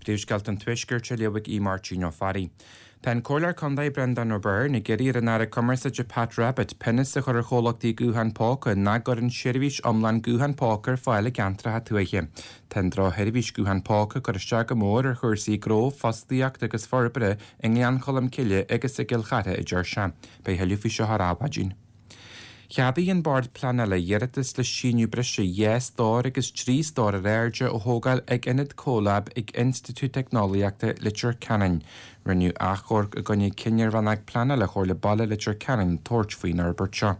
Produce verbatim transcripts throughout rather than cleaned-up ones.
Príomhscéalta an Tuaiscirt á léamh ag Aodh Máirtín Ó Fearraigh. Tá an Comhairleoir Contae Breandán Ó Beirn ag iarraidh ar an Aire Cumarsáide Pat Rabbitte pionós a chur ar chomhlachtaí guthán póca nach gcuireann seirbhís iomlán guthán póca ar fáil i gceantracha tuaithe. Tá an drochsheirbhís guthán póca ag cur isteach go mór ar chúrsaí gnó, fostaíochta agus forbartha i nGleann Cholm Cille agus i gCill Chartha, a deir sé. Beidh tuilleadh faoi seo ar Adhmhaidin. Cheadaigh an Bord Pleanála iarratas le síneadh breise dhá stór agus trí stór ar airde a thógáil ag Ionad CoLab ag Institiúid Teicneolaíochta Leitir Ceanainn. Rinneadh achomharc i gcoinne cinneadh Rannóg Pleanála Chomhairle Baile Leitir Ceanainn tabhairt faoin fhorbairt seo.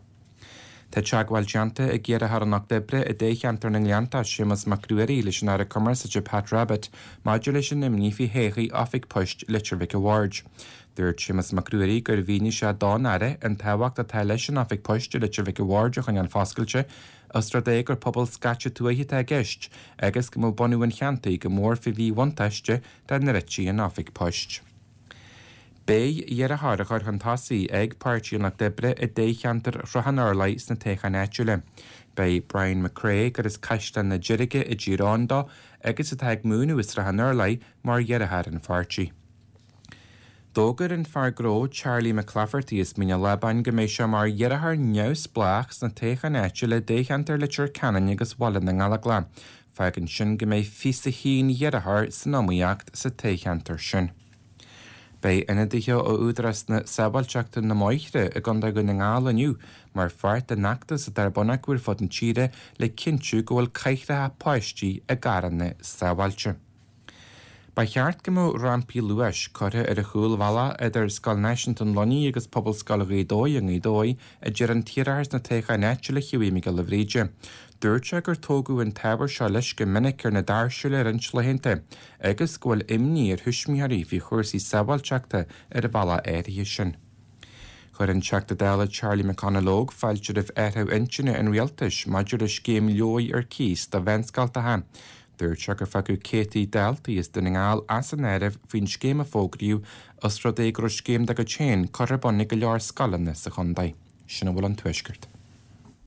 Tá teagmháil déanta ag iarrthóir an Lucht Oibre i dtoghcheantar na nGleannta, Séamus Mac Ruairí, leis an Aire Cumarsáide Pat Rabbitte maidir leis an imní faoi thodhchaí Oifig Poist Leitir Mhic a' Bhaird. Dúirt Séamus Mac Ruairí gur mhínigh sé don Aire an tábhacht atá leis an Oifig Poist i Leitir Mhic a' Bhaird a choinneáil foscailte, os rud é gur pobal scaite tuaithe atá i gceist agus go mbeadh bunú an cheantair go mór faoi mhíbhuntáiste dá ndruidfí an Oifig Poist. Beidh iarrthóir á chur chun tosaigh ag Páirtí an Lucht Oibre i dtoghcheantar Shruth an Orlaigh sna toghcháin áitiúla. Beidh Brian McCrea, gur as Caisleán na Deirge i dTír Eoghain dó agus atá ag múineadh i Srath an Urláir mar iarrthóir an pháirtí. D'fhógair an fear gnó Charlie McClafferty as Mín an Lábáin go mbeidh sé mar iarrthóir neamhspleách sna toghcháin áitiúla i dtoghcheantar Leitir Ceanainn agus Bhaile na nGallóglach. Fágann sin go mbeidh fiche a haon iarrthóir san iomaíocht sa toghcheantar sin. Beidh ionadaithe ó Údarás na Sábháilteachta na mBóithre i gContae Dhún na nGall inniu mar pháirt den fheachtas atá ar bun acu ar fud na tíre le cinntiú go bhfuil cathracha páistí i gcarranna sábháilte. Ba cheart go mbeadh rampaí luais curtha ar an chúlbhealach idir Scoil Náisiúnta an Luinnigh agus Pobalscoil Ghaoth Dobhair i nGaoth Dobhair, a deir an t-iarrthóir sna toghcháin áitiúla Hughie Mac Giolla Bhríde. Dúirt sé gur tógadh an t-ábhar seo leis go minic ar na doirse le roinnt laethanta agus go bhfuil imní ar thuismitheoirí faoi chúrsaí sábháilteachta ar an bhealach áirithe sin. Chuir an Teachta Dála Charlie McConalogue fáilte roimh athrú intinne an rialtais maidir le scéim leabhar ar cíos do mheánscoltacha. Dúirt sé gur fágadh céadta daltaí as Dún na nGall as an áireamh faoin scéim a fógraíodh os rud é go raibh scéim dá gcuid féin curtha ar bun ag go leor scoileanna sa chontae. Sin a bhfuil ón Tuaisceart.